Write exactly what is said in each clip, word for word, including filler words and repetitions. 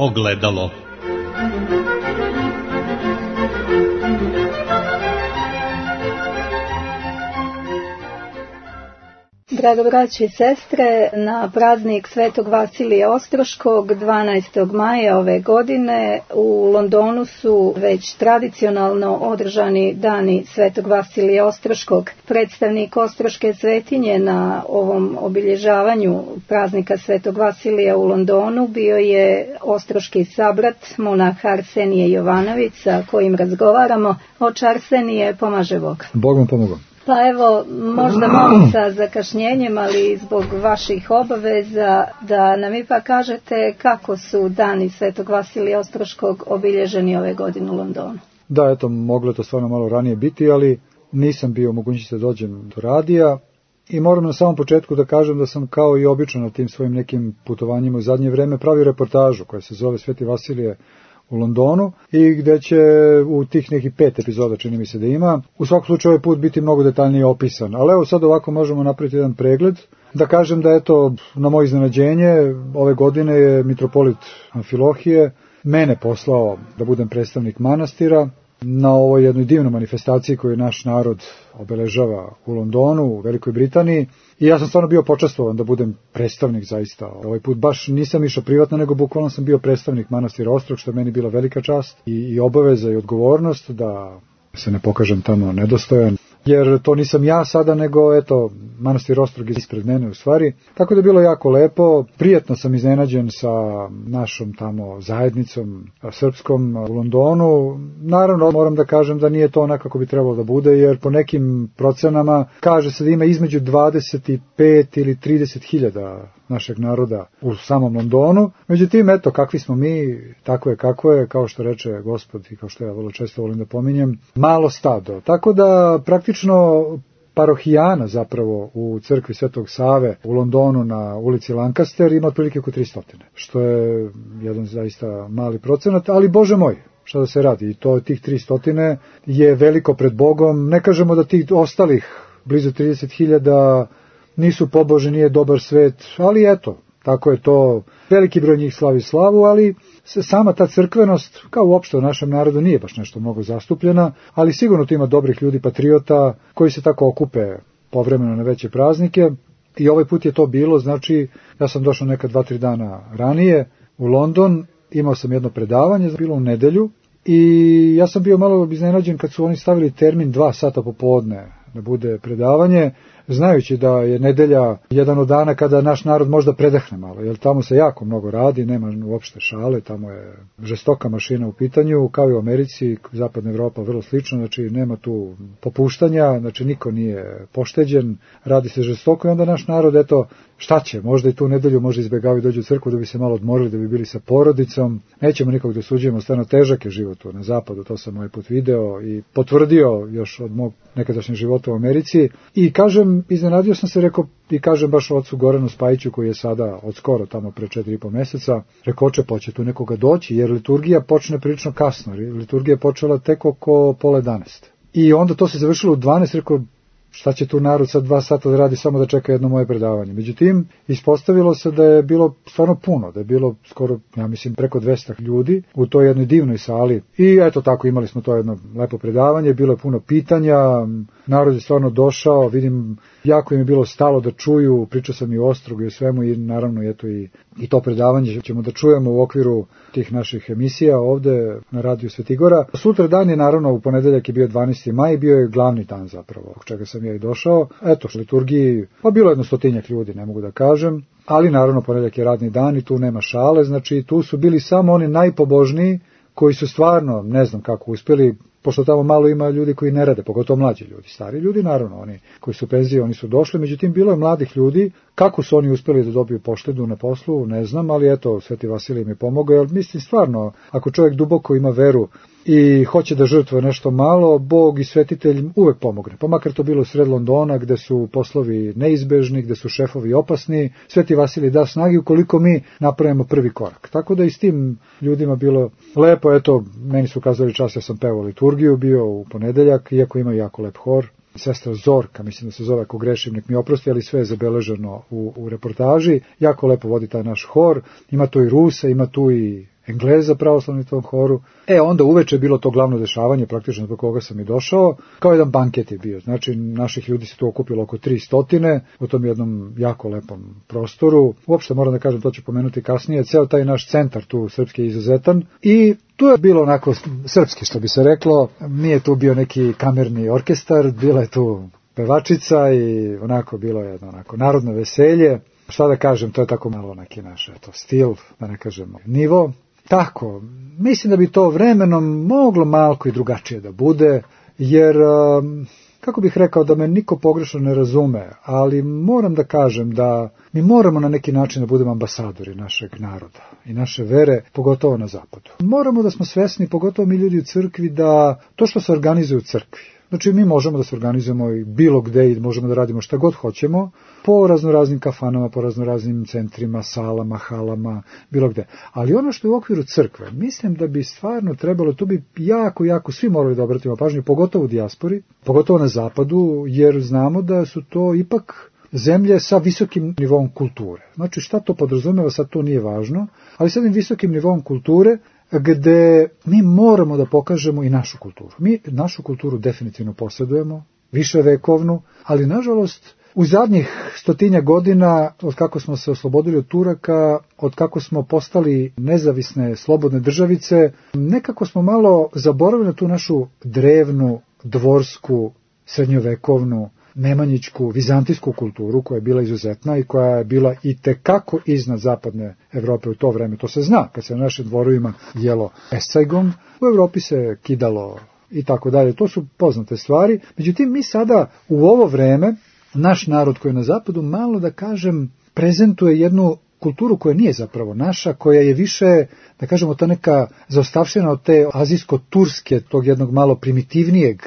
ogledalo. Drago braći i sestre, na praznik Svetog Vasilija Ostroškog dvanaestog maja ove godine u Londonu su već tradicionalno održani dani Svetog Vasilija Ostroškog. Predstavnik Ostroške svetinje na ovom obilježavanju praznika Svetog Vasilija u Londonu bio je ostroški sabrat monah Arsenije Jovanović, sa kojim razgovaramo. Oče Arsenije, pomaže Bog. Bog vam pomogao. Pa evo, možda malo sa zakašnjenjem, ali zbog vaših obaveza, da nam ipak kažete kako su dani Svetog Vasilija Ostroškog obilježeni ove godine u Londonu. Da, eto, moglo je to stvarno malo ranije biti, ali nisam bio mogućnosti da dođem do radija i moram na samom početku da kažem da sam kao i obično na tim svojim nekim putovanjima u zadnje vreme pravio reportažu koja se zove Sveti Vasilije u Londonu i gde će u tih nekih pet epizoda, čini mi se da ima, u svakom slučaju ovaj put biti mnogo detaljnije opisan. Ali evo sad ovako možemo napraviti jedan pregled. Da kažem da eto, na moje iznenađenje, ove godine je mitropolit Amfilohije mene poslao da budem predstavnik manastira na ovoj jednoj divnoj manifestaciji koju naš narod obeležava u Londonu, u Velikoj Britaniji. I ja sam stvarno bio počastvovan da budem predstavnik zaista. Ovaj put baš nisam išao privatno, nego bukvalno sam bio predstavnik manastira Ostrog, što je meni bila velika čast i, i obaveza i odgovornost da se ne pokažem tamo nedostojan. Jer to nisam ja sada, nego eto, manastir Ostrog je ispred mene u stvari. Tako da je bilo jako lepo, prijatno sam iznenađen sa našom tamo zajednicom srpskom u Londonu. Naravno, moram da kažem da nije to onako kako bi trebalo da bude, jer po nekim procenama kaže se da ima između dvadeset pet ili trideset hiljada našeg naroda u samom Londonu. Međutim, eto, kakvi smo mi, tako je kako je, kao što reče Gospod i kao što ja vrlo često volim da pominjem, malo stado. Tako da praktično parohijana zapravo u crkvi Svetog Save u Londonu na ulici Lancaster ima otprilike oko tristo, što je jedan zaista mali procenat, ali Bože moj, šta da se radi, i to tih tristo je veliko pred Bogom. Ne kažemo da tih ostalih blizu trideset hiljada nisu pobožni, nije dobar svet, ali eto, tako je to, veliki broj njih slavi slavu, ali sama ta crkvenost, kao uopšte u našem narodu, nije baš nešto mnogo zastupljena, ali sigurno tu ima dobrih ljudi, patriota, koji se tako okupe povremeno na veće praznike. I ovaj put je to bilo, znači, ja sam došao neka dva, tri dana ranije u London, imao sam jedno predavanje, bilo u nedelju, i ja sam bio malo iznenađen kad su oni stavili termin dva sata popodne da bude predavanje, znajući da je nedelja jedan od dana kada naš narod možda predahne malo, jer tamo se jako mnogo radi, nema uopšte šale, tamo je žestoka mašina u pitanju, kao i u Americi, zapadna Evropa vrlo slično, znači nema tu popuštanja, znači niko nije pošteđen, radi se žestoko i onda naš narod, eto, šta će, možda i tu nedelju možda izbjegavaju dođu u crkvu da bi se malo odmorili, da bi bili sa porodicom, nećemo nikog da osuđujemo, stvarno težak je život tu na zapadu, to sam ovaj put video i potvrdio još od mog nekadašnjeg života u Americi i kažem, iznenadio sam se, rekao, i kažem baš ocu Goranu Spajiću koji je sada od skoro tamo pre četiri i po meseca, rekao, oče, poće tu nekoga doći, jer liturgija počne prilično kasno, liturgija je počela tek oko pola jedanaest. I onda to se završilo u dvanaest, rekao, šta će tu narod sad dva sata da radi samo da čeka jedno moje predavanje. Međutim, ispostavilo se da je bilo stvarno puno, da je bilo skoro, ja mislim, preko dvesta ljudi u toj jednoj divnoj sali. I eto tako, imali smo to jedno lepo predavanje, bilo je puno pitanja, narod je stvarno došao, vidim, jako im je bilo stalo da čuju, pričao sam i o Ostrogu i o svemu i naravno eto i, i to predavanje ćemo da čujemo u okviru tih naših emisija ovde na radiju Svetigora. Sutra dan je naravno, u ponedeljak je bio dvanaesti maj, bio je glavni dan zapravo, od čega sam ja i došao. Eto, liturgiji, pa bilo jedno stotinjak ljudi, ne mogu da kažem, ali naravno ponedeljak je radni dan i tu nema šale, znači tu su bili samo oni najpobožniji koji su stvarno, ne znam kako uspjeli, pošto tamo malo ima ljudi koji ne rade, pogotovo mlađi ljudi, stari ljudi, naravno, oni koji su penzije, oni su došli, međutim, bilo je mladih ljudi, kako su oni uspjeli da dobiju poštedu na poslu, ne znam, ali eto, Sveti Vasilij im je pomogao, jer mislim stvarno, ako čovjek duboko ima veru i hoće da žrtvuje nešto malo, Bog i svetitelj uvek pomogne. Pa makar to bilo sred Londona, gde su poslovi neizbežni, gde su šefovi opasni, Sveti Vasilij da snagi ukoliko mi napravimo prvi korak. Tako da i s tim ljudima bilo lepo, eto, meni su kazali čas, ja sam pevao liturgiju, bio u ponedeljak, iako ima jako lep hor. Sestra Zorka, mislim da se zove, ako grešim, nek mi oprosti, ali sve je zabeleženo u, u reportaži. Jako lepo vodi taj naš hor, ima tu i Rusa, ima tu i Engleza pravoslavni u tom horu. E, onda uveče je bilo to glavno dešavanje, praktično zbog koga sam i došao, kao jedan banket je bio. Znači, naših ljudi se tu okupilo oko tri stotine u tom jednom jako lepom prostoru. Uopšte moram da kažem, to ću pomenuti kasnije, ceo taj naš centar tu srpski je izuzetan i tu je bilo onako srpski, što bi se reklo, nije tu bio neki kamerni orkestar, bila je tu pevačica i onako bilo je jedno onako narodno veselje. Šta da kažem, to je tako malo neki naš eto, stil, da ne kažemo nivo. Tako, mislim da bi to vremenom moglo malko i drugačije da bude, jer, kako bih rekao, da me niko pogrešno ne razume, ali moram da kažem da mi moramo na neki način da budemo ambasadori našeg naroda i naše vere, pogotovo na zapadu. Moramo da smo svesni, pogotovo mi ljudi u crkvi, da to što se organizuje u crkvi, znači mi možemo da se organizujemo i bilo gde i možemo da radimo šta god hoćemo, po raznoraznim kafanama, po raznoraznim centrima, salama, halama, bilo gde. Ali ono što je u okviru crkve, mislim da bi stvarno trebalo, tu bi jako, jako svi morali da obratimo pažnju, pogotovo u dijaspori, pogotovo na zapadu, jer znamo da su to ipak zemlje sa visokim nivom kulture. Znači šta to podrazumeva, sad to nije važno, ali sa jednim visokim nivom kulture, gde mi moramo da pokažemo i našu kulturu. Mi našu kulturu definitivno posjedujemo, više vekovnu, ali nažalost u zadnjih stotinja godina, od kako smo se oslobodili od Turaka, od kako smo postali nezavisne, slobodne državice, nekako smo malo zaboravili na tu našu drevnu, dvorsku, srednjovekovnu, nemanjičku, vizantijsku kulturu koja je bila izuzetna i koja je bila i tekako iznad zapadne Evrope u to vreme. To se zna, kad se na našim dvorovima jelo esajgom, u Evropi se kidalo i tako dalje. To su poznate stvari. Međutim, mi sada u ovo vreme, naš narod koji je na zapadu, malo da kažem, prezentuje jednu kulturu koja nije zapravo naša, koja je više, da kažemo, ta neka zaostavština od te azijsko-turske, tog jednog malo primitivnijeg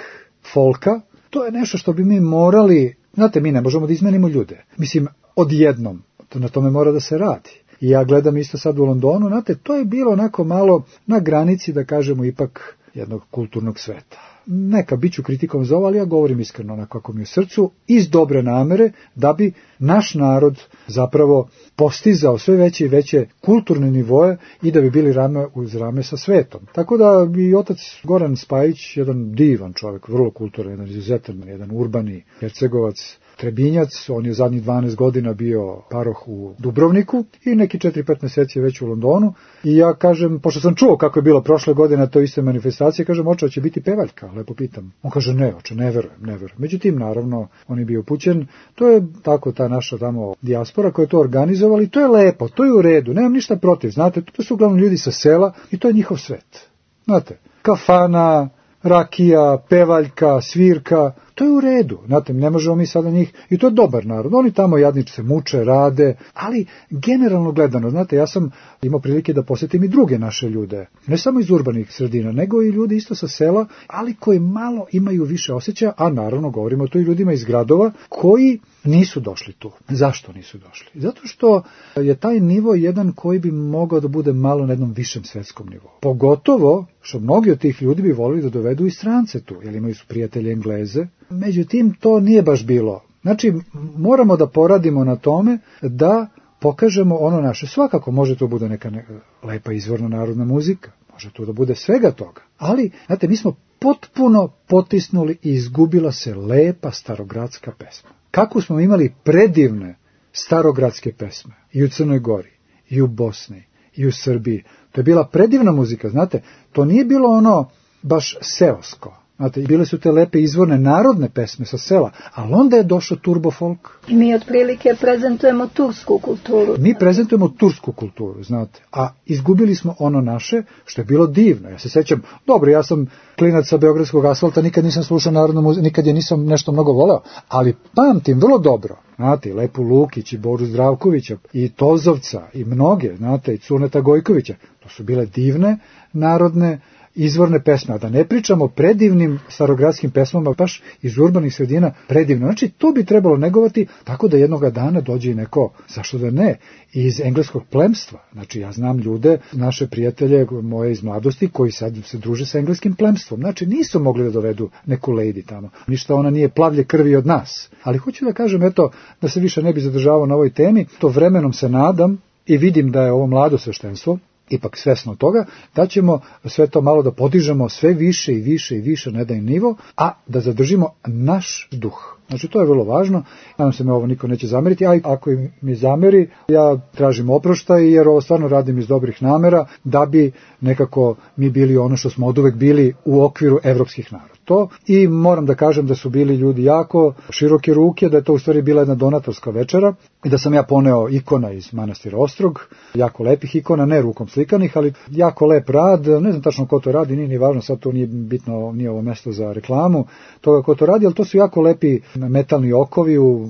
folka. To je nešto što bi mi morali, znate, mi ne možemo da izmenimo ljude. Mislim, odjednom, to na tome mora da se radi. I ja gledam isto sad u Londonu, znate, to je bilo onako malo na granici, da kažemo, ipak jednog kulturnog sveta. Neka, bit ću kritikom za ovo, ali ja govorim iskreno onako kako mi je u srcu, iz dobre namere, da bi naš narod zapravo postizao sve veće i veće kulturne nivoje i da bi bili rame uz rame sa svetom. Tako da bi otac Goran Spajić, jedan divan čovjek, vrlo kulturan, jedan izuzetan, jedan urbani Hercegovac, Trebinjac, on je zadnjih dvanaest godina bio paroh u Dubrovniku i neki četiri pet meseci je već u Londonu. I ja kažem, pošto sam čuo kako je bilo prošle godine to iste manifestacije, kažem, oče, će biti pevaljka, lepo pitam. On kaže, ne, oče, ne verujem, ne verujem. Međutim, naravno, on je bio upućen. To je tako ta naša tamo dijaspora koja je to organizovala i to je lepo, to je u redu, nemam ništa protiv, znate, to su uglavnom ljudi sa sela i to je njihov svet. Znate, kafana, rakija, pevaljka, svirka, to je u redu, znate, ne možemo mi sada njih, i to je dobar narod, oni tamo jadniče se muče, rade, ali generalno gledano, znate, ja sam imao prilike da posjetim i druge naše ljude, ne samo iz urbanih sredina, nego i ljudi isto sa sela, ali koji malo imaju više osjećaja, a naravno govorimo o to i ljudima iz gradova, koji nisu došli tu. Zašto nisu došli? Zato što je taj nivo jedan koji bi mogao da bude malo na jednom višem svetskom nivou. Pogotovo što mnogi od tih ljudi bi volili da dovedu i strance tu, jer imaju su prijatelje Engleze. Međutim, to nije baš bilo. Znači, moramo da poradimo na tome da pokažemo ono naše. Svakako može to bude neka, neka lepa izvorna narodna muzika, može to da bude svega toga. Ali, znate, mi smo potpuno potisnuli i izgubila se lepa starogradska pesma. Kako smo imali predivne starogradske pesme i u Crnoj Gori, i u Bosni, i u Srbiji. To je bila predivna muzika, znate, to nije bilo ono baš seosko. Znate, bile su te lepe izvorne narodne pesme sa sela, ali onda je došao turbo folk. I mi otprilike prezentujemo tursku kulturu. Mi prezentujemo tursku kulturu, znate, a izgubili smo ono naše, što je bilo divno. Ja se sećam, dobro, ja sam klinac sa beogradskog asfalta, nikad nisam slušao narodnu muziku, nikad je nisam nešto mnogo voleo, ali pamtim vrlo dobro, znate, Lepu Lukić i Boru Zdravkovića, i Tozovca, i mnoge, znate, i Cuneta Gojkovića. To su bile divne narodne izvorne pesme, a da ne pričamo o predivnim starogradskim pesmama, baš iz urbanih sredina, predivno. Znači, to bi trebalo negovati tako da jednoga dana dođe i neko, zašto da ne, iz engleskog plemstva. Znači, ja znam ljude, naše prijatelje moje iz mladosti, koji sad se druže sa engleskim plemstvom. Znači, nisu mogli da dovedu neku lady tamo. Ništa ona nije plavlje krvi od nas. Ali hoću da kažem, eto, da se više ne bi zadržavao na ovoj temi, to vremenom se nadam i vidim da je ovo mlado sveštenstvo, ipak svesno toga, da ćemo sve to malo da podižemo sve više i više i više na jedan nivo, a da zadržimo naš duh. Znači, to je vrlo važno. Nadam se me ovo niko neće zameriti, a ako mi zameri, ja tražim oproštaj, jer ovo stvarno radim iz dobrih namera, da bi nekako mi bili ono što smo oduvek bili u okviru evropskih naroda. To i moram da kažem da su bili ljudi jako široke ruke, da je to u stvari bila jedna donatorska večera i da sam ja poneo ikona iz manastira Ostrog, jako lepih ikona, ne rukom slikanih, ali jako lep rad, ne znam tačno ko to radi, nije ni važno, sad to nije bitno, nije ovo mesto za reklamu toga ko to radi, ali to su jako lepi metalni okovi u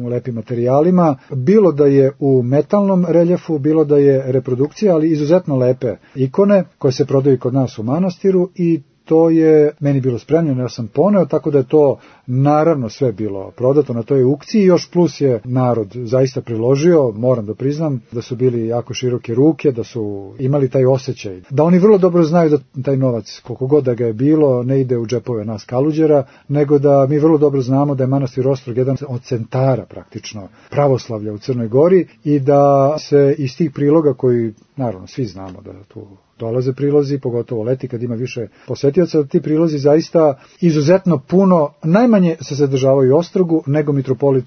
lepim materijalima, bilo da je u metalnom reljefu, bilo da je reprodukcija, ali izuzetno lepe ikone koje se prodaju kod nas u manastiru i to je meni bilo spremljeno, ja sam poneo, tako da je to naravno sve bilo prodato na toj aukciji, još plus je narod zaista priložio, moram da priznam, da su bili jako široke ruke, da su imali taj osjećaj, da oni vrlo dobro znaju da taj novac, koliko god da ga je bilo, ne ide u džepove nas kaluđera, nego da mi vrlo dobro znamo da je manastir Ostrog jedan od centara praktično pravoslavlja u Crnoj Gori i da se iz tih priloga koji, naravno, svi znamo da tu dolaze prilozi, pogotovo leti kad ima više posetioca, ti prilozi zaista izuzetno puno, najmanje se zadržavaju u Ostrogu nego mitropolit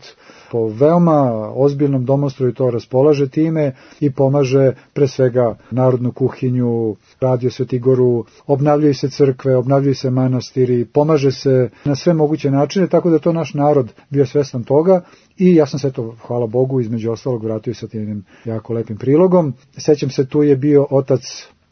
po veoma ozbiljnom domostroju to raspolaže time i pomaže pre svega narodnu kuhinju, radio Svetigoru, obnavljaju se crkve, obnavljaju se manastiri, pomaže se na sve moguće načine, tako da to naš narod bio svestan toga i ja sam sve to, hvala Bogu, između ostalog vratio sa tim jako lepim prilogom. Sećam se, tu je bio otac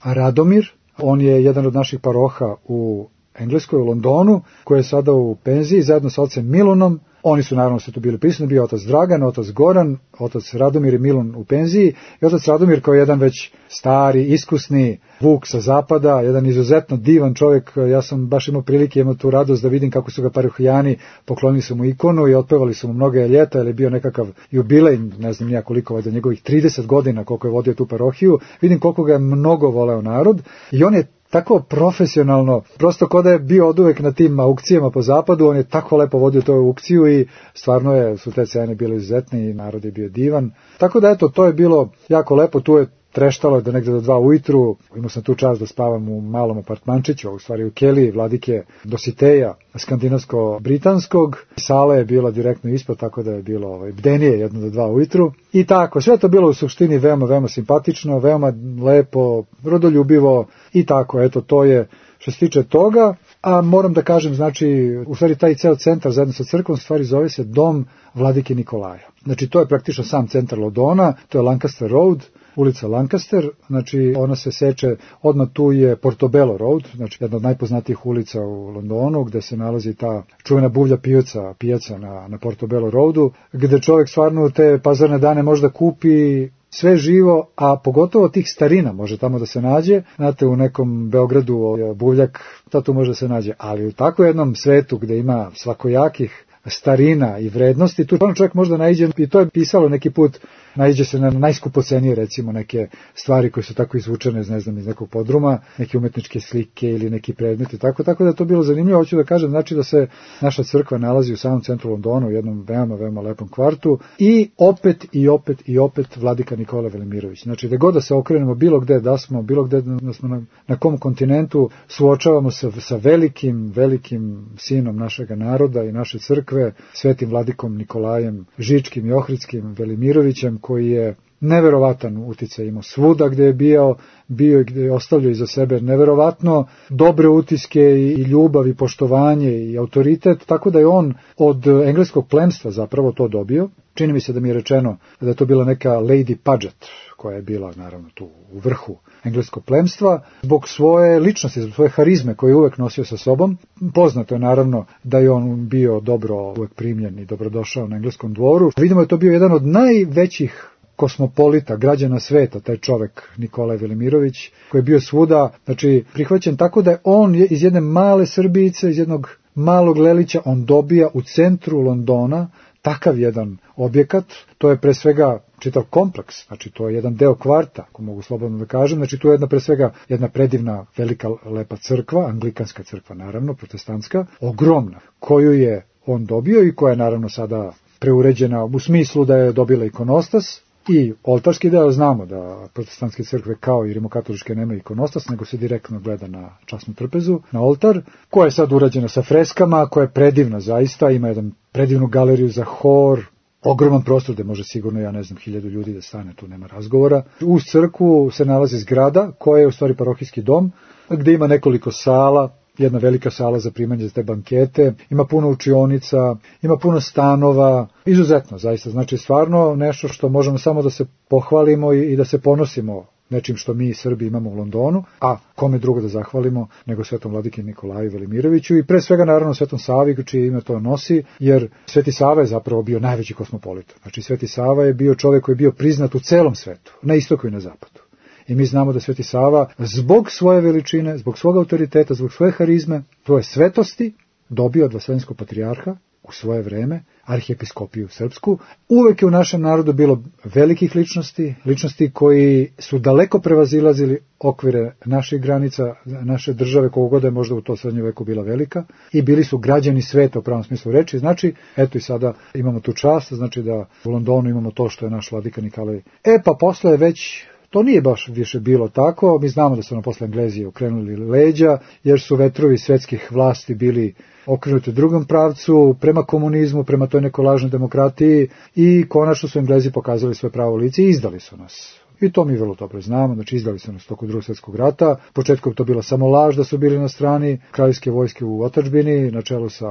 Radomir, on je jedan od naših paroha u Engleskoj, u Londonu, koji je sada u penziji, zajedno sa ocem Milunom. Oni su naravno sve tu bili prisutni, bio otac Dragan, otac Goran, otac Radomir i Milun u penziji i otac Radomir kao jedan već stari, iskusni vuk sa zapada, jedan izuzetno divan čovjek. Ja sam baš imao prilike, imao tu radost da vidim kako su ga parohijani poklonili su mu ikonu i otpevali su mu mnoge ljeta, jer je bio nekakav jubilej, ne znam nija koliko, valjda njegovih trideset godina koliko je vodio tu parohiju. Vidim koliko ga je mnogo voleo narod i on je tako profesionalno, prosto kao da je bio oduvek na tim aukcijama po zapadu, on je tako lepo vodio tu aukciju i stvarno je, su te cene bile izuzetne i narod je bio divan. Tako da eto, to je bilo jako lepo, tu je treštalo da negde do dva ujutru, imao sam tu čast da spavam u malom apartmančiću, u stvari u keliji vladike Dositeja, skandinavsko-britanskog. Sala je bila direktno ispod, tako da je bilo ovaj, bdenije jedno do dva ujutru. I tako, sve to bilo u suštini veoma, veoma simpatično, veoma lepo, rodoljubivo i tako, eto, to je što se tiče toga. A moram da kažem, znači, u stvari taj ceo centar zajedno sa crkvom, stvari zove se Dom vladike Nikolaja. Znači, to je praktično sam centar Londona, to je Lancaster Road, ulica Lancaster, znači ona se seče, odmah tu je Portobello Road, znači jedna od najpoznatijih ulica u Londonu, gde se nalazi ta čuvena buvlja pijaca, pijaca na, na Portobello Roadu, gde čovjek stvarno te pazarne dane možda kupi sve živo, a pogotovo tih starina može tamo da se nađe. Znate, u nekom Beogradu buvljak, to tu može da se nađe, ali u tako jednom svetu gde ima svakojakih starina i vrednosti, tu čovjek možda naiđe, i to je pisalo neki put, naiđe se na najskupocenije, recimo neke stvari koje su tako izvučene, ne znam, iz nekog podruma, neke umetničke slike ili neki predmeti, tako, tako da je to bilo zanimljivo. Hoću da kažem, znači da se naša crkva nalazi u samom centru Londona, u jednom veoma, veoma lepom kvartu i opet i opet i opet vladika Nikola Velimirović. Znači, da god da se okrenemo bilo gde da smo, bilo gde da smo na, na kom kontinentu, suočavamo se sa velikim, velikim sinom našega naroda i naše crkve, svetim vladikom Nikolajem Žičkim i Ohritskim Velimirovićem, koji je neverovatan uticaj imao svuda gde je bio, bio i gde je ostavljao iza sebe neverovatno dobre utiske i ljubav i poštovanje i autoritet, tako da je on od engleskog plemstva zapravo to dobio. Čini mi se da mi je rečeno da je to bila neka Lady Paget, koja je bila naravno tu u vrhu engleskog plemstva, zbog svoje ličnosti, zbog svoje harizme koje je uvek nosio sa sobom. Poznato je naravno da je on bio dobro uvek primljen i dobrodošao na engleskom dvoru. Vidimo da je to bio jedan od najvećih kosmopolita, građana sveta, taj čovek Nikolaj Velimirović, koji je bio svuda, znači prihvaćen tako da je on iz jedne male Srbijice, iz jednog malog Lelića, on dobija u centru Londona takav jedan objekat. To je pre svega čitav kompleks, znači to je jedan deo kvarta, ako mogu slobodno da kažem, znači tu je jedna pre svega jedna predivna, velika, lepa crkva, anglikanska crkva naravno, protestantska, ogromna, koju je on dobio i koja je naravno sada preuređena u smislu da je dobila ikonostas, i oltarski deo. Znamo da protestantske crkve kao i rimokatoličke nemaju ikonostas, nego se direktno gleda na časnu trpezu, na oltar, koja je sad urađena sa freskama, koja je predivna zaista, ima jedan predivnu galeriju za hor, ogroman prostor gde može sigurno, ja ne znam, hiljadu ljudi da stane, tu nema razgovora. Uz crkvu se nalazi zgrada koja je u stvari parohijski dom, gde ima nekoliko sala, jedna velika sala za primanje za te bankete, ima puno učionica, ima puno stanova, izuzetno zaista, znači stvarno nešto što možemo samo da se pohvalimo i, i da se ponosimo nečim što mi Srbi imamo u Londonu, a kome drugo da zahvalimo nego Svetom vladiki Nikolaju Velimiroviću i pre svega naravno Svetom Savi čije ime to nosi, jer Sveti Sava je zapravo bio najveći kosmopolit. Znači Sveti Sava je bio čovjek koji je bio priznat u celom svetu, na istoku i na zapadu. I mi znamo da Sveti Sava zbog svoje veličine, zbog svog autoriteta, zbog svoje harizme, svoje svetosti dobio od Vaseljenskog patrijarha u svoje vreme arhijepiskopiju srpsku. Uvek je u našem narodu bilo velikih ličnosti, ličnosti koji su daleko prevazilazili okvire naših granica, naše države, kogod je možda u to srednjem veku bila velika, i bili su građani sveta u pravom smislu reči. Znači, eto i sada imamo tu čast, znači da u Londonu imamo to što je naš vladika Nikolaj. E pa posle je već to nije baš više bilo tako, mi znamo da su nam posle Englezi okrenuli leđa, jer su vetrovi svetskih vlasti bili okrenuti u drugom pravcu, prema komunizmu, prema toj nekoj lažnoj demokratiji i konačno su Englezi pokazali svoje pravo lice i izdali su nas. I to mi vrlo dobro znamo, znači izdali su nas tokom Drugog svjetskog rata, početkom to bila samo laž da su bili na strani kraljevske vojske u otadžbini, na čelu sa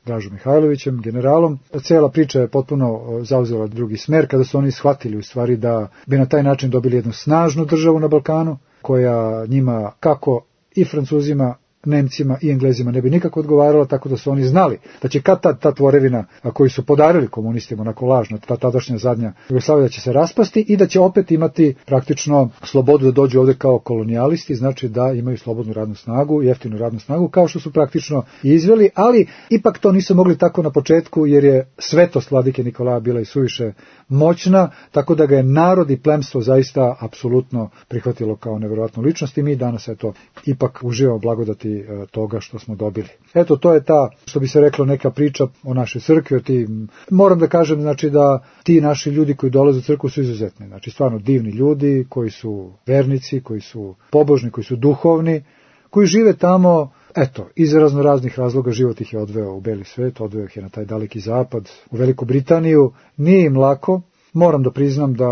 Dražom Mihajlovićem, generalom. Cela priča je potpuno zauzela drugi smer, kada su oni shvatili u stvari da bi na taj način dobili jednu snažnu državu na Balkanu, koja njima, kako i Francuzima, Nemcima i Englezima ne bi nikako odgovarala, tako da su oni znali da će kad ta, ta tvorevina koju su podarili komunistima onako lažno, ta tadašnja zadnja Jugoslavija, da će se raspasti i da će opet imati praktično slobodu da dođu ovde kao kolonijalisti, znači da imaju slobodnu radnu snagu, jeftinu radnu snagu, kao što su praktično izveli, ali ipak to nisu mogli tako na početku, jer je svetost vladike Nikolaja bila i suviše moćna, tako da ga je narod i plemstvo zaista apsolutno prihvatilo kao neverovatnu ličnost i mi danas eto ipak uživamo blagodati toga što smo dobili. Eto, to je ta, što bi se reklo, neka priča o našoj crkvi, o ti, moram da kažem, znači da ti naši ljudi koji dolaze u crkvu su izuzetni, znači stvarno divni ljudi, koji su vernici, koji su pobožni, koji su duhovni, koji žive tamo, eto, iz razno raznih razloga život ih je odveo u beli svet, odveo ih je na taj daleki zapad, u Veliku Britaniju, nije im lako. Moram da priznam da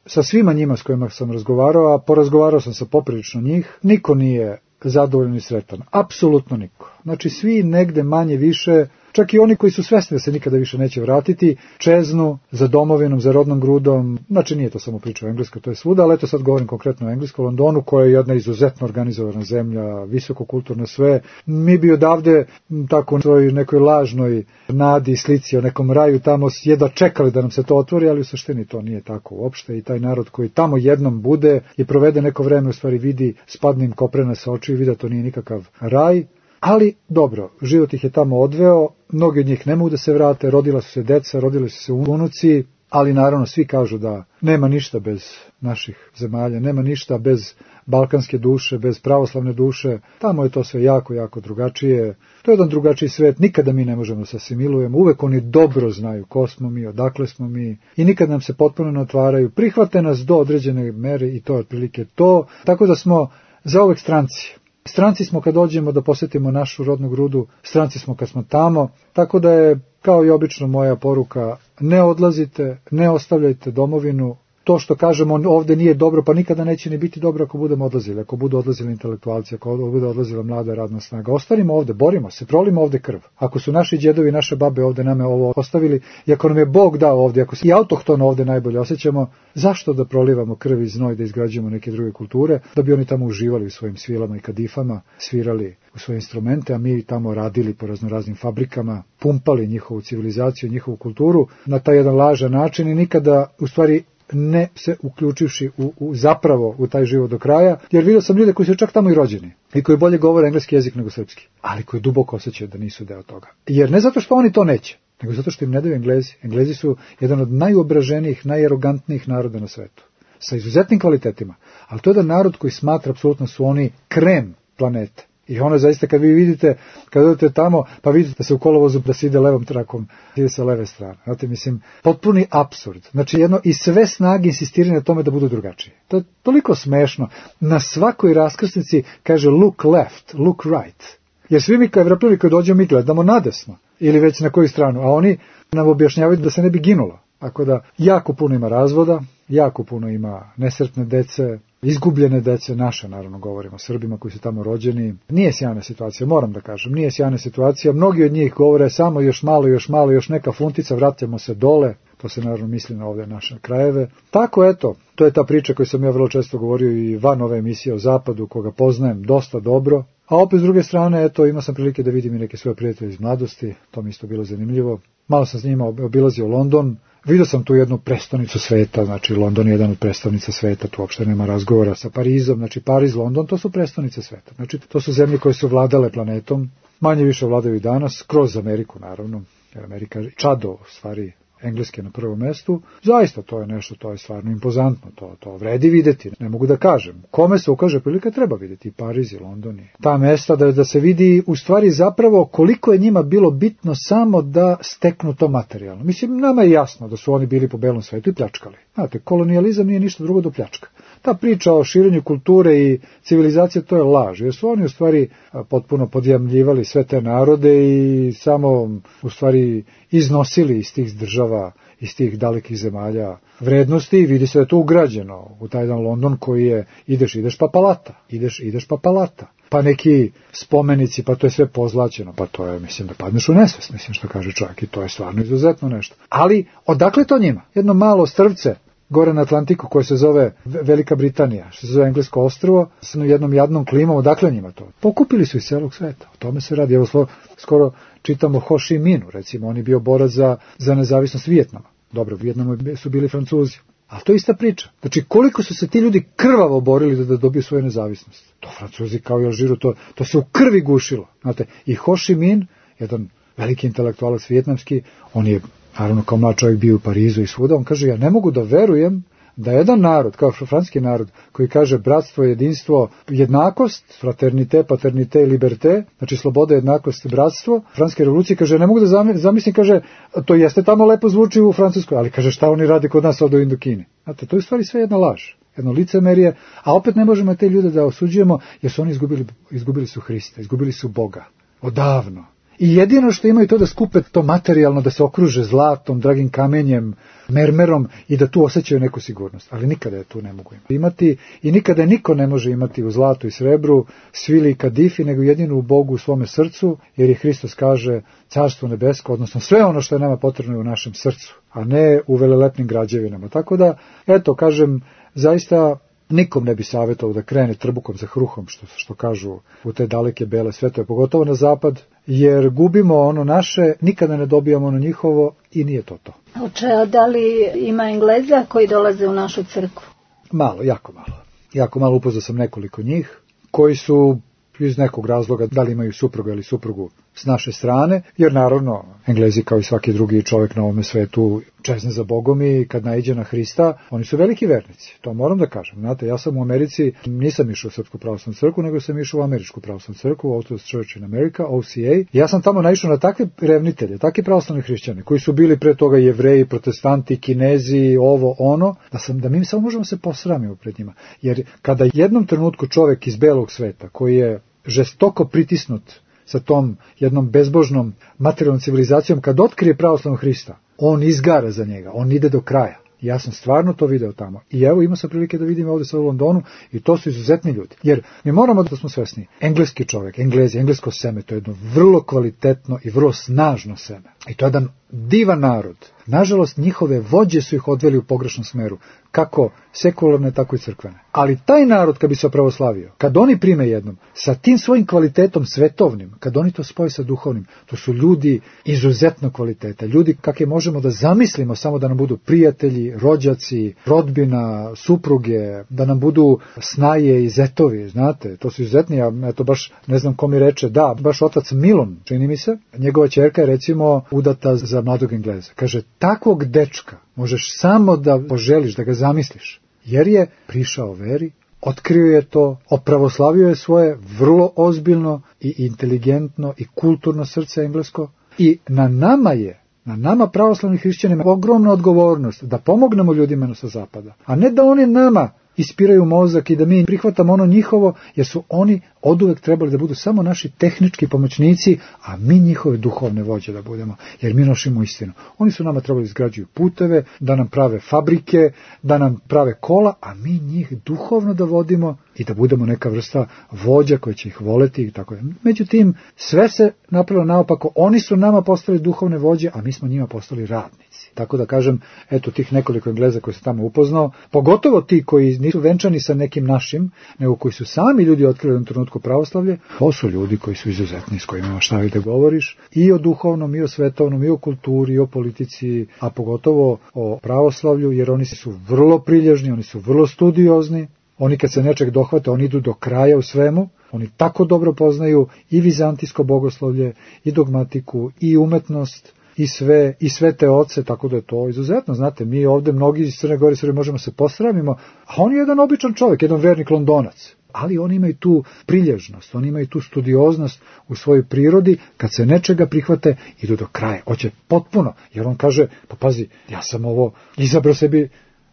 sa svima njima s kojima sam razgovarao, a porazgovarao sam sa poprilično njih, niko nije zadovoljan i sretan. Apsolutno niko. Znači svi negde manje više, čak i oni koji su svesni da se nikada više neće vratiti, čeznu za domovinom, za rodnom grudom. Znači nije to samo priča o Engleskoj, to je svuda, ali eto sad govorim konkretno o Engleskoj, Londonu, koja je jedna izuzetno organizovana zemlja, visokokulturno sve. Mi bi odavde tako u svojoj nekoj lažnoj nadi i slici o nekom raju tamo jedva čekali da nam se to otvori, ali u suštini to nije tako uopšte i taj narod koji tamo jednom bude i provede neko vreme, u stvari vidi, spadne im koprena sa očiju i vidi da to nije nikakav raj. Ali, dobro, život ih je tamo odveo, mnogi od njih ne mogu da se vrate, rodila su se deca, rodili su se unuci, ali naravno svi kažu da nema ništa bez naših zemalja, nema ništa bez balkanske duše, bez pravoslavne duše, tamo je to sve jako, jako drugačije, to je jedan drugačiji svet, nikada mi ne možemo da se asimilujemo, uvek oni dobro znaju ko smo mi, odakle smo mi i nikad nam se potpuno ne otvaraju, prihvate nas do određene mere i to je otprilike to, tako da smo zauvek stranci. Stranci smo kad dođemo da posjetimo našu rodnu grudu, stranci smo kad smo tamo, tako da je, kao i obično, moja poruka, ne odlazite, ne ostavljajte domovinu. To što kažemo ovde nije dobro, pa nikada neće ni biti dobro ako budemo odlazili, ako budu odlazili intelektualci, ako bude odlazila mlada radna snaga. Ostanimo ovde, borimo se, prolimo ovde krv. Ako su naši djedovi, naše babe ovde name ovo ostavili, i ako nam je Bog dao ovde, ako se i autohtono ovde najbolje osjećamo, zašto da prolivamo krv i znoj, da izgrađujemo neke druge kulture, da bi oni tamo uživali u svojim svilama i kadifama, svirali u svoje instrumente, a mi tamo radili po raznoraznim fabrikama, pumpali njihovu civilizaciju, njihovu kulturu na taj jedan lažan način i nikada, u stvari, ne se uključivši u, u zapravo u taj život do kraja, jer vidio sam ljude koji su čak tamo i rođeni i koji bolje govore engleski jezik nego srpski, ali koji duboko osjećaju da nisu deo toga. Jer ne zato što oni to neće, nego zato što im ne daju Englezi. Englezi su jedan od najobraženijih, najarogantnijih naroda na svetu, sa izuzetnim kvalitetima, ali to je jedan narod koji smatra apsolutno su oni krem planete. I ono zaista kad vi vidite, kad odete tamo, pa vidite da se u kolovozu da se ide levom trakom, ide sa leve strane. Znate, mislim, potpuni apsurd. Znači jedno, i sve snage insistiraju na tome da budu drugačiji. To je toliko smešno. Na svakoj raskrsnici kaže look left, look right. Jer svi mi kao Evropljani koji dođemo mi gledamo nadesno. Ili već na koju stranu. A oni nam objašnjavaju da se ne bi ginulo. Tako da jako puno ima razvoda, jako puno ima nesretne dece, izgubljene dece, naše naravno govorimo o Srbima koji su tamo rođeni. Nije sjajna situacija, moram da kažem, nije sjajna situacija. Mnogi od njih govore samo još malo, još malo, još neka funtica, vratimo se dole. To se naravno misli na ovdje naše krajeve. Tako eto, to je ta priča koju sam ja vrlo često govorio i van ove emisije o Zapadu, koga poznajem dosta dobro. A opet s druge strane, eto, imao sam prilike da vidim i neke svoje prijatelje iz mladosti, to mi isto bilo zanimljivo. Malo sam s njima obilazio London, vidio sam tu jednu prestonicu sveta, znači London je jedan od prestolnica sveta, tu uopšte nema razgovora sa Parizom, znači Pariz, London, to su prestonice sveta. Znači to su zemlje koje su vladale planetom, manje više vladaju i danas, kroz Ameriku naravno, jer Amerika čado u stvari engleske na prvom mestu, zaista to je nešto, to je stvarno impozantno, to, to vredi videti, ne mogu da kažem. Kome se ukaže prilika treba vidjeti, Pariz i London i ta mesta da, da se vidi u stvari zapravo koliko je njima bilo bitno samo da steknu to materijalno. Mislim, nama je jasno da su oni bili po belom svetu i pljačkali. Znate, kolonijalizam nije ništa drugo do pljačka. Ta priča o širenju kulture i civilizacije, to je laž, jer su oni u stvari potpuno podjamljivali sve te narode i samo u stvari iznosili iz tih država, iz tih dalekih zemalja vrednosti i vidi se da je to ugrađeno u taj jedan London koji je ideš, ideš pa palata, ideš, ideš pa palata. Pa neki spomenici, pa to je sve pozlaćeno, pa to je, mislim, da padneš u nesvest, mislim što kaže čovjek i to je stvarno izuzetno nešto. Ali, odakle to njima? Jedno malo strvce gore na Atlantiku koje se zove Velika Britanija, što se zove Englesko ostrvo, sa jednom jadnom klimom, odakle njima to? Pokupili su iz celog sveta, o tome se radi. Evo slo, skoro čitamo Ho Chi Minhu, recimo, on je bio borac za, za nezavisnost Vijetnama. Dobro, u Vijetnamu su bili Francuzi. Ali to je ista priča. Znači, koliko su se ti ljudi krvavo borili da, da dobiju svoju nezavisnost. To Francuzi kao i Alžiru, to, to se u krvi gušilo. Znate, i Ho Chi Minh, jedan veliki intelektualac vijetnamski, on je naravno kao mlad čovjek bio u Parizu i svuda, on kaže, ja ne mogu da verujem da jedan narod, kao francuski narod, koji kaže bratstvo, jedinstvo, jednakost, fraternite, paternite i liberte, znači sloboda, jednakost, bratstvo, francuske revolucije, kaže, ne mogu da zamislim, kaže, to jeste tamo lepo zvuči u Francuskoj, ali kaže, šta oni rade kod nas ovdje u Indokini? Znate, to je u stvari sve jedna laž, jedno licemerje, a opet ne možemo te ljude da osuđujemo, jer su oni izgubili, izgubili su Hrista, izgubili su Boga, odavno. I jedino što imaju to da skupe to materijalno, da se okruže zlatom, dragim kamenjem, mermerom i da tu osjećaju neku sigurnost. Ali nikada je tu ne mogu imati i nikada niko ne može imati u zlatu i srebru, svili i kadifi, nego jedino u Bogu u svome srcu, jer je Hristos kaže carstvo nebesko, odnosno sve ono što je nama potrebno je u našem srcu, a ne u velelepnim građevinama. Tako da, eto, kažem, zaista nikom ne bi savjetovao da krene trbukom za hruhom, što, što kažu u te daleke bele svetove, pogotovo na zapad, jer gubimo ono naše, nikada ne dobijamo ono njihovo i nije to to. Oče, a da li ima Engleza koji dolaze u našu crkvu? Malo, jako malo. Jako malo, upoznao sam nekoliko njih, koji su iz nekog razloga, da li imaju supruga ili suprugu s naše strane, jer naravno Englezi kao i svaki drugi čovjek na ovome svetu čezne za Bogom i kad naiđe na Hrista, oni su veliki vernici, to moram da kažem. Znate, ja sam u Americi, nisam išao u Srpsku pravoslavnu crkvu, nego sam išao u Američku pravoslavnu crkvu, Orthodox Church in America, O C A. Ja sam tamo naišao na takve revnitelje, takve pravoslavne hrišćane, koji su bili pre toga Jevreji, protestanti, Kinezi, ovo, ono, da, sam, da mi samo možemo se posramiti pred njima. Jer kada jednom trenutku čovjek iz belog sveta, koji je žestoko pritisnut sa tom jednom bezbožnom materijalnom civilizacijom, kad otkrije pravoslavnog Hrista, on izgara za njega, on ide do kraja. Ja sam stvarno to video tamo. I evo imao sam prilike da vidim ovdje sa u Londonu i to su izuzetni ljudi. Jer mi moramo da smo svesni, engleski čovjek, Englezi, englesko seme, to je jedno vrlo kvalitetno i vrlo snažno seme. I to je jedan divan narod. Nažalost, njihove vođe su ih odveli u pogrešnom smeru, kako sekularne, tako i crkvene. Ali taj narod, kad bi se pravoslavio, kad oni prime jednom, sa tim svojim kvalitetom svetovnim, kad oni to spoje sa duhovnim, to su ljudi izuzetno kvaliteta. Ljudi kakve možemo da zamislimo, samo da nam budu prijatelji, rođaci, rodbina, supruge, da nam budu snaje i zetovi, znate, to su izuzetni. Ja eto baš ne znam ko mi reče, da, baš otac Milon, čini mi se, njegova ćerka je recimo udata za mladog Engleza. Kaže, takvog dečka možeš samo da poželiš, da ga zamisliš, jer je prišao veri, otkrio je to, opravoslavio je svoje vrlo ozbiljno i inteligentno i kulturno srce englesko i na nama je, na nama pravoslavnih hrišćanima, ogromna odgovornost da pomognemo ljudima sa zapada, a ne da oni nama ispiraju mozak i da mi prihvatamo ono njihovo, jer su oni oduvek trebali da budu samo naši tehnički pomoćnici, a mi njihove duhovne vođe da budemo, jer mi nosimo istinu. Oni su nama trebali izgrađuju puteve, da nam prave fabrike, da nam prave kola, a mi njih duhovno da vodimo i da budemo neka vrsta vođa koji će ih voleti i tako. Međutim, sve se napravilo naopako, oni su nama postali duhovne vođe, a mi smo njima postali radnici. Tako da kažem, eto tih nekoliko Engleza koji se tamo upoznao, pogotovo ti koji nisu venčani sa nekim našim, nego koji su sami ljudi otkrili u jednom trenutku pravoslavlje, to su ljudi koji su izuzetni, s kojima imaš šta da govoriš, i o duhovnom, i o svetovnom, i o kulturi, i o politici, a pogotovo o pravoslavlju, jer oni su vrlo prilježni, oni su vrlo studiozni, oni kad se nečeg dohvate, oni idu do kraja u svemu, oni tako dobro poznaju i vizantijsko bogoslovlje, i dogmatiku, i umetnost, i sve, i sve te oce, tako da je to izuzetno. Znate, mi ovde mnogi iz Crne Gore Srbije možemo se posramimo, a on je jedan običan čovjek, jedan vernik Londonac. Ali oni imaju tu prilježnost, oni imaju tu studioznost u svojoj prirodi, kad se nečega prihvate, idu do kraja, hoće potpuno, jer on kaže, pa pazi, ja sam ovo izabrao sebi,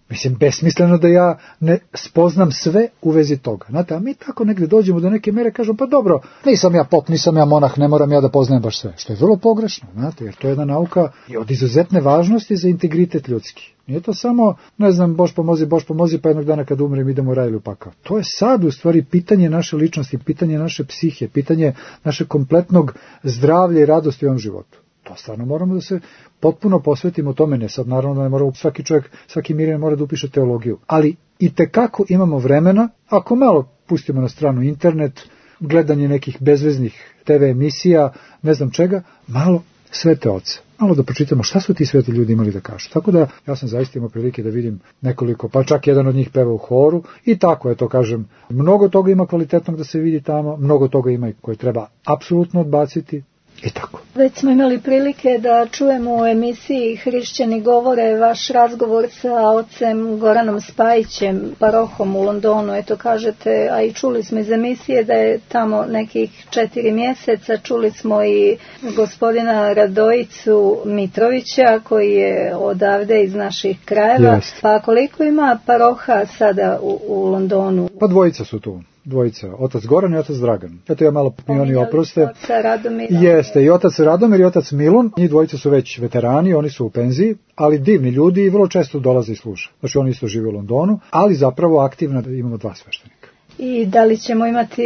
mislim, besmisleno da ja ne spoznam sve u vezi toga. Znate, a mi tako negde dođemo do neke mere, kažemo, pa dobro, nisam ja pop, nisam ja monah, ne moram ja da poznajem baš sve. Što je vrlo pogrešno, znate, jer to je jedna nauka i od izuzetne važnosti za integritet ljudski. Nije to samo, ne znam, Bož pomozi, Bož pomozi, pa jednog dana kad umrem idemo u raj ili u pakao. To je sad u stvari pitanje naše ličnosti, pitanje naše psihe, pitanje naše kompletnog zdravlja i radosti u ovom životu. To stvarno moramo da se potpuno posvetimo tome, ne sad naravno da ne mora svaki čovjek, svaki mirjan mora da upiše teologiju, ali i tekako imamo vremena, ako malo pustimo na stranu internet, gledanje nekih bezveznih te ve emisija, ne znam čega, malo svete oce. Malo da pročitamo šta su ti sveti ljudi imali da kažu. Tako da ja sam zaista imao prilike da vidim nekoliko, pa čak jedan od njih peva u horu i tako je to, kažem, mnogo toga ima kvalitetnog da se vidi tamo, mnogo toga ima i koje treba apsolutno odbaciti. I tako. Već smo imali prilike da čujemo u emisiji Hrišćani govore vaš razgovor sa ocem Goranom Spajićem, parohom u Londonu. Eto kažete, a i čuli smo iz emisije da je tamo nekih četiri mjeseca. Čuli smo i gospodina Radojicu Mitrovića koji je odavde iz naših krajeva. Jest. Pa koliko ima paroha sada u, u Londonu? Pa dvojica su tu. Dvojica, otac Goran i otac Dragan. Eto ja malo mi oni oproste. Jeste, i otac Radomir i otac Milun, njih dvojica su već veterani, oni su u penziji, ali divni ljudi i vrlo često dolaze i služe. Znači oni isto žive u Londonu, ali zapravo aktivno imamo dva sveštenika. I da li ćemo imati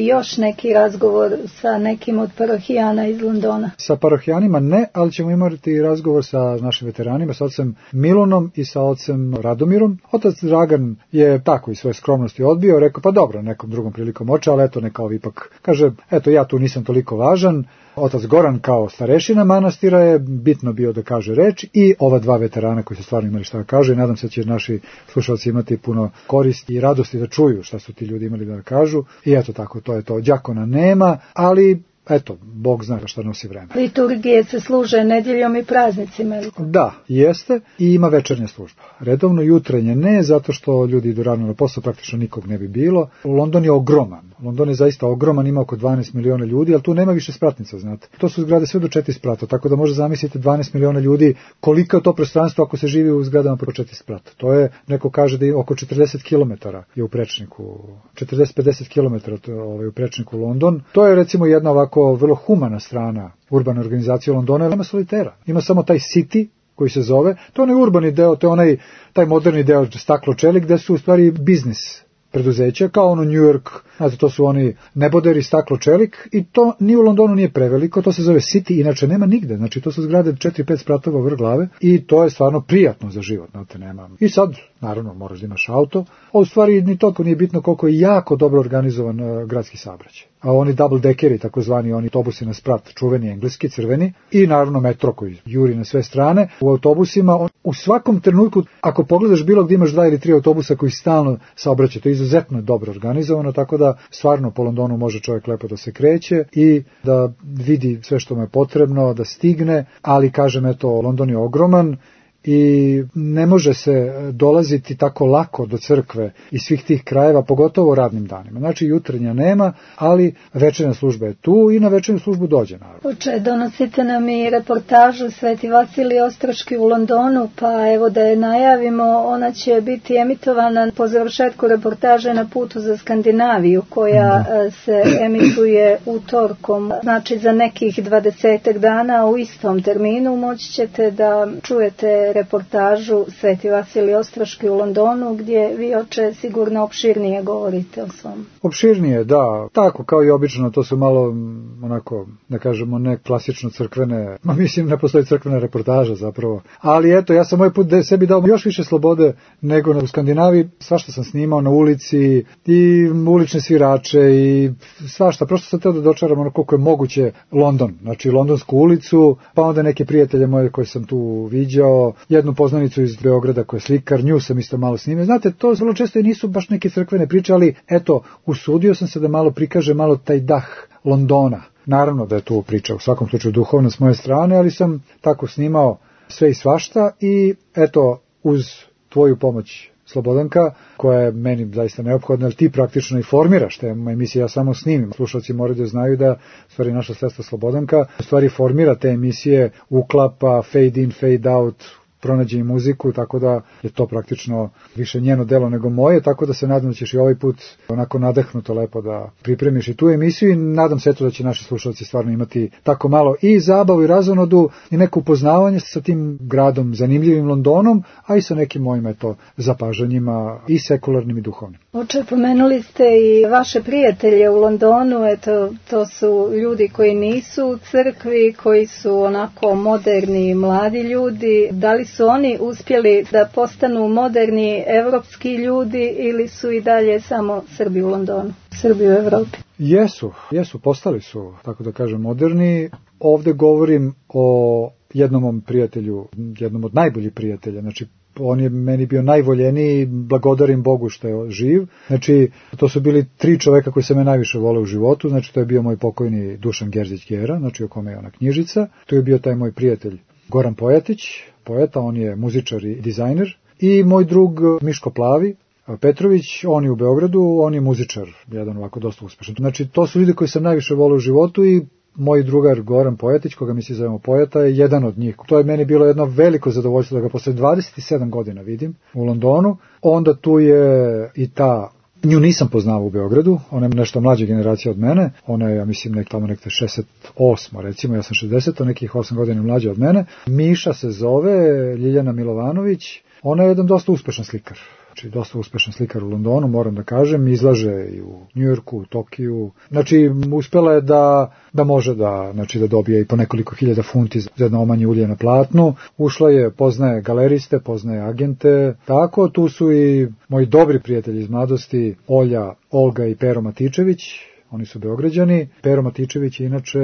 još neki razgovor sa nekim od parohijana iz Londona? Sa parohijanima ne, ali ćemo imati razgovor sa našim veteranima, sa ocem Milunom i sa ocem Radomirom. Otac Dragan je tako iz svoje skromnosti odbio, rekao pa dobro, nekom drugom prilikom oče, ali eto neka ovi ipak kaže, eto ja tu nisam toliko važan. Otac Goran kao starešina manastira je bitno bio da kaže reč i ova dva veterana koji su stvarno imali šta da kaže i nadam se da će naši slušalci imati puno koristi i radosti da čuju šta su ti ljudi imali da kažu i eto tako, to je to. Đakona nema, ali eto, Bog zna šta nosi vreme. Liturgije se služe nedjeljom i praznicima. Da, jeste i ima večernja služba. Redovno jutrenje ne, zato što ljudi idu rano na posao, praktično nikog ne bi bilo. London je ogroman. London je zaista ogroman, ima oko dvanaest miliona ljudi, ali tu nema više spratnica, znate. To su zgrade sve do četiri sprata, tako da možete zamisliti dvanaest miliona ljudi, koliko je to prostranstvo ako se živi u zgradama po četiri sprata. To je, neko kaže da je oko četrdeset kilometara je u prečniku, četrdeset do pedeset kilometara ovaj, u prečniku London. To je recimo jedna ovako vrlo humana strana urbane organizacije Londona, nema solitera. Ima samo taj city koji se zove, to je onaj urbani deo, to je onaj, taj moderni deo staklo čelik, gde su u stvari biznis preduzeća, kao ono New York, znate, to su oni neboderi, staklo čelik i to ni u Londonu nije preveliko, to se zove city, inače nema nigde, znači to su zgrade četiri pet spratova vrh glave i to je stvarno prijatno za život, znate, nema. I sad, naravno, moraš da imaš auto, a u stvari ni toliko nije bitno koliko je jako dobro organizovan uh, gradski saobraćaj. A oni double deckeri, takozvani oni autobusi na sprat, čuveni engleski, crveni, i naravno metro koji juri na sve strane. U autobusima, on, u svakom trenutku, ako pogledaš bilo gdje imaš dva ili tri autobusa koji stalno saobraćaju, to je izuzetno dobro organizovano, tako da stvarno po Londonu može čovjek lepo da se kreće i da vidi sve što mu je potrebno, da stigne, ali kažem, eto, London je ogroman i ne može se dolaziti tako lako do crkve iz svih tih krajeva, pogotovo radnim danima. Znači jutarnja nema, ali večernja služba je tu i na večernju službu dođe naravno. Uče, donosite nam i reportažu Sveti Vasilij Ostroški u Londonu, pa evo da je najavimo, ona će biti emitovana po završetku reportaže Na putu za Skandinaviju, koja da. se emituje utorkom, znači za nekih dvadesetak dana u istom terminu moći ćete da čujete reportažu Sveti Vasilij Ostroški u Londonu, gdje vi, oče, sigurno opširnije govorite o svom. Opširnije, da. Tako kao i obično, to su malo onako, da kažemo, ne klasično crkvene, ma mislim ne postoji crkvena reportaža zapravo. Ali eto, ja sam ovaj put sebi dao još više slobode nego u Skandinaviji. Svašta sam snimao na ulici i ulične svirače i svašta. Prosto sam teo da dočaram ono koliko je moguće London, znači londonsku ulicu, pa onda neke prijatelje moje koje sam tu viđao, jednu poznanicu iz Beograda koja je slikar, nju sam isto malo snimio. Znate, to vrlo često i nisu baš neke crkvene priče, ali eto, usudio sam se da malo prikaže malo taj dah Londona. Naravno da je tu priča u svakom slučaju duhovno s moje strane, ali sam tako snimao sve i svašta i eto, uz tvoju pomoć, Slobodanka, koja je meni zaista neophodna, ali ti praktično i formiraš te emisije, ja samo snimim. Slušalci moraju da znaju da stvari naša sestra Slobodanka u stvari formira te emisije, uklapa, fade in, fade out, pronađe i muziku, tako da je to praktično više njeno delo nego moje, tako da se nadam da ćeš i ovaj put onako nadahnuto lepo da pripremiš i tu emisiju i nadam se eto da će naši slušalci stvarno imati tako malo i zabavu i razonodu i neko upoznavanje sa tim gradom, zanimljivim Londonom, a i sa nekim mojim eto zapažanjima i sekularnim i duhovnim. Oče, pomenuli ste i vaše prijatelje u Londonu, eto, to su ljudi koji nisu u crkvi, koji su onako moderni i mladi ljudi. Da li su oni uspjeli da postanu moderni evropski ljudi ili su i dalje samo Srbi u Londonu, Srbi u Evropi? Jesu, jesu, postali su, tako da kažem, moderni. Ovde govorim o jednom mom prijatelju, jednom od najboljih prijatelja, znači on je meni bio najvoljeniji, blagodarim Bogu što je živ. Znači, to su bili tri čoveka koji se me najviše vole u životu. Znači, to je bio moj pokojni Dušan Gerzić-Gera, znači o kome je ona knjižica. To je bio taj moj prijatelj Goran Pojatić, poeta, on je muzičar i dizajner. I moj drug Miško Plavi Petrović, on je u Beogradu, on je muzičar, jedan ovako dosta uspešan. Znači, to su ljudi koji sam najviše voleo u životu i moj drugar Goran Pojatić, koga mi se zovemo Pojata, je jedan od njih. To je meni bilo jedno veliko zadovoljstvo da ga posle dvadeset sedam godina vidim u Londonu. Onda tu je i ta, nju nisam poznao u Beogradu, ona je nešto mlađa generacija od mene, ona je, ja mislim, nek tamo nekde šezdeset osma, recimo, ja sam šezdeset, nekih osam godina mlađa od mene. Miša se zove, Ljiljana Milovanović, ona je jedan dosta uspešan slikar. Znači, dosta uspešan slikar u Londonu, moram da kažem, izlaže i u Njujorku, u Tokiju. Znači, uspela je da, da može da, znači, da dobije i po nekoliko hiljada funti za jedno omanje ulje na platnu. Ušla je, poznaje galeriste, poznaje agente. Tako, tu su i moji dobri prijatelji iz mladosti, Olja, Olga i Pero Matičević. Oni su Beograđani. Pero Matičević je inače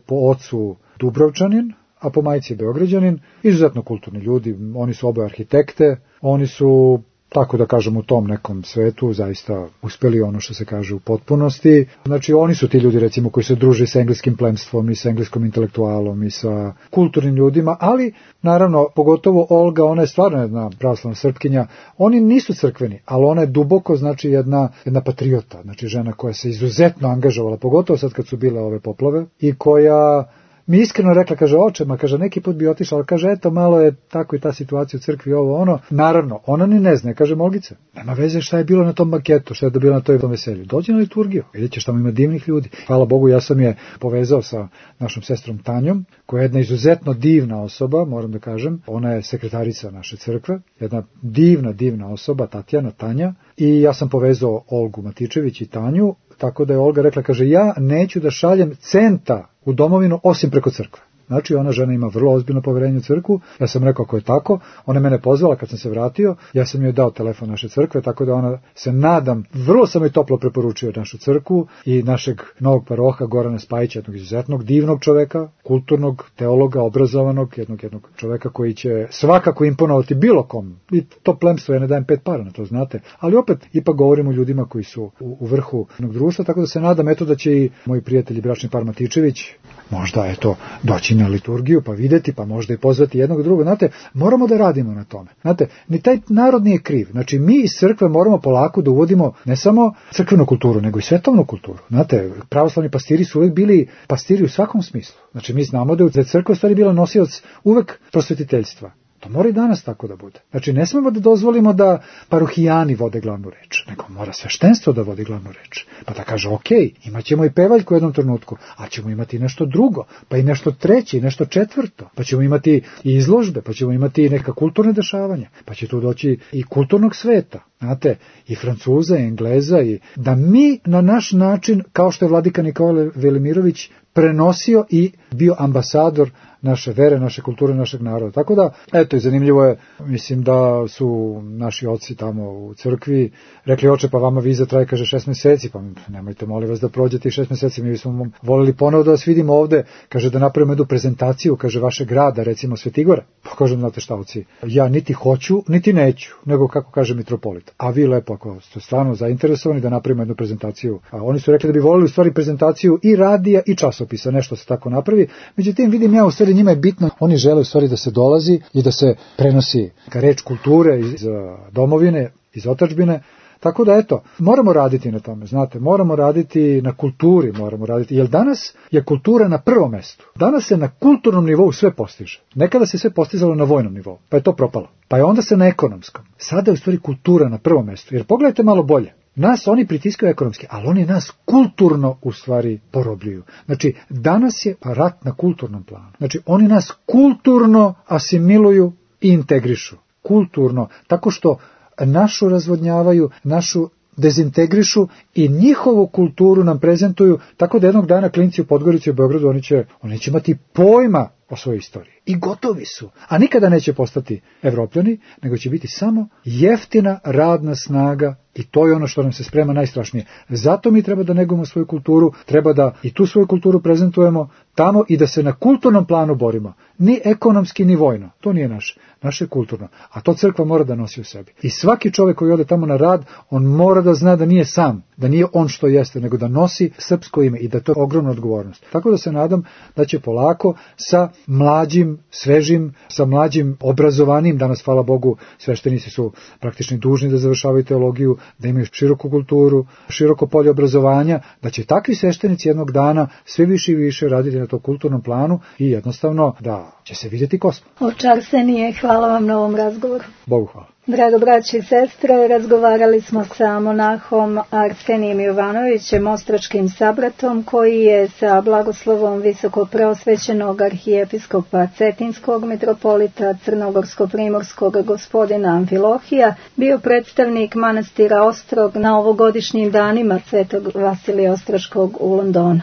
po ocu Dubrovčanin, a po majci je Beograđanin. Izuzetno kulturni ljudi, oni su oboje arhitekte, oni su, tako da kažem, u tom nekom svetu zaista uspeli ono što se kaže u potpunosti. Znači, oni su ti ljudi, recimo, koji se druže sa engleskim plemstvom i sa engleskom intelektualom i sa kulturnim ljudima, ali, naravno, pogotovo Olga, ona je stvarno jedna pravoslavna Srpkinja. Oni nisu crkveni, ali ona je duboko, znači, jedna, jedna patriota, znači, žena koja se izuzetno angažovala, pogotovo sad kad su bile ove poplave, i koja mi iskreno rekla, kaže, oče, ma, kaže, neki put bi otišla, ali kaže, eto, malo je tako i ta situacija u crkvi, ovo, ono. Naravno, ona ni ne zna, kaže, Olgice, nema veze šta je bilo na tom maketu, šta je bilo na toj veselju. Dođi na liturgiju, vidjet ćeš, tamo ima divnih ljudi. Hvala Bogu, ja sam je povezao sa našom sestrom Tanjom, koja je jedna izuzetno divna osoba, moram da kažem. Ona je sekretarica naše crkve, jedna divna, divna osoba, Tatjana, Tanja, i ja sam povezao Olgu Matičević i Tanju, tako da je Olga rekla, kaže, ja neću da šaljem centa u domovinu osim preko crkve. Znači, ona žena ima vrlo ozbiljno poverenje u crkvu. Ja sam rekao, ako je tako, ona je mene pozvala kad sam se vratio, ja sam joj dao telefon naše crkve, tako da ona se nadam, vrlo sam joj toplo preporučio našu crkvu i našeg novog paroha Gorana Spajića, jednog izuzetnog divnog čoveka, kulturnog teologa, obrazovanog, jednog jednog čoveka koji će svakako imponovati bilo kom. I to plemstvo, ja ne dajem pet para na to, znate. Ali opet, ipak govorimo o ljudima koji su u, u vrhu jednog društva, tako da se nadam, eto, da će i moji prijatelji bračni par Matičević možda, eto, doći na liturgiju, pa videti, pa možda i pozvati jednog drugog. Znate, moramo da radimo na tome. Znate, ni taj narod nije kriv. Znači, mi iz crkve moramo polako da uvodimo ne samo crkvenu kulturu, nego i svetovnu kulturu. Znate, pravoslavni pastiri su uvek bili pastiri u svakom smislu. Znači, mi znamo da je crkva stvari bila nosioc uvek prosvetiteljstva. To mora i danas tako da bude. Znači, ne smemo da dozvolimo da parohijani vode glavnu reč, nego mora sveštenstvo da vodi glavnu reč. Pa da kaže, ok, imat ćemo i pevaljku u jednom trenutku, a ćemo imati nešto drugo, pa i nešto treće, i nešto četvrto, pa ćemo imati i izložbe, pa ćemo imati i neka kulturne dešavanja, pa će tu doći i kulturnog sveta, znate, i Francuza, i Engleza, i da mi na naš način, kao što je vladika Nikola Velimirović prenosio i bio ambasador naše vere, naše kulture, našeg naroda. Tako da, eto, i zanimljivo je, mislim da su naši oci tamo u crkvi rekli, oče, pa vama viza traje, kaže, šest meseci, pa nemojte, molim vas, da prođete i šest meseci, mi smo voljeli ponovo da vas vidimo ovde, kaže, da napravimo jednu prezentaciju, kaže, vašeg grada, recimo Svetigora. Pa kažem, znate šta, oci, ja niti hoću, niti neću, nego kako kaže mitropolit. A vi lepo, ako ste stvarno zainteresovani da napravimo jednu prezentaciju. A oni su rekli da bi voljeli u stvari prezentaciju i radija i časopisa, nešto se tako napravi. Međutim, vidim ja, u stvari njima je bitno, oni žele u stvari da se dolazi i da se prenosi reč kulture iz domovine, iz otadžbine. Tako da, eto, moramo raditi na tome, znate, moramo raditi na kulturi, moramo raditi, jer danas je kultura na prvom mestu. Danas se na kulturnom nivou sve postiže. Nekada se sve postizalo na vojnom nivou, pa je to propalo. Pa je onda se na ekonomskom. Sada je u stvari kultura na prvom mestu, jer pogledajte malo bolje. Nas oni pritiskaju ekonomski, ali oni nas kulturno u stvari porobljuju. Znači, danas je rat na kulturnom planu. Znači, oni nas kulturno asimiluju i integrišu. Kulturno, tako što našu razvodnjavaju, našu dezintegrišu i njihovu kulturu nam prezentuju, tako da jednog dana klinci u Podgorici i u Beogradu, oni će, oni će imati pojma o svojoj istoriji. I gotovi su. A nikada neće postati Evropljani, nego će biti samo jeftina radna snaga. I to je ono što nam se sprema najstrašnije. Zato mi treba da negujemo svoju kulturu, treba da i tu svoju kulturu prezentujemo tamo i da se na kulturnom planu borimo. Ni ekonomski, ni vojno. To nije naše. Naše je kulturno. A to crkva mora da nosi u sebi. I svaki čovjek koji ode tamo na rad, on mora da zna da nije sam, da nije on što jeste, nego da nosi srpsko ime i da to je ogromna odgovornost. Tako da se nadam da će polako sa mlađim, svežim, sa mlađim obrazovanim, danas, hvala Bogu, sveštenici su praktično dužni da završavaju teologiju, da imaju široku kulturu, široko polje obrazovanja, da će takvi sveštenici jednog dana sve više i više raditi na to kulturnom planu i jednostavno da će se vidjeti kosmo. Oče Arsenije, hvala vam na ovom razgovoru. Bogu hvala. Drago braći i sestre, razgovarali smo sa monahom Arsenijem Jovanovićem, ostračkim sabratom, koji je sa blagoslovom visokopreosvećenog arhijepiskopa Cetinskog mitropolita Crnogorsko-primorskog gospodina Amfilohija bio predstavnik manastira Ostrog na ovogodišnjim danima Svetog Vasilija Ostroškog u Londonu.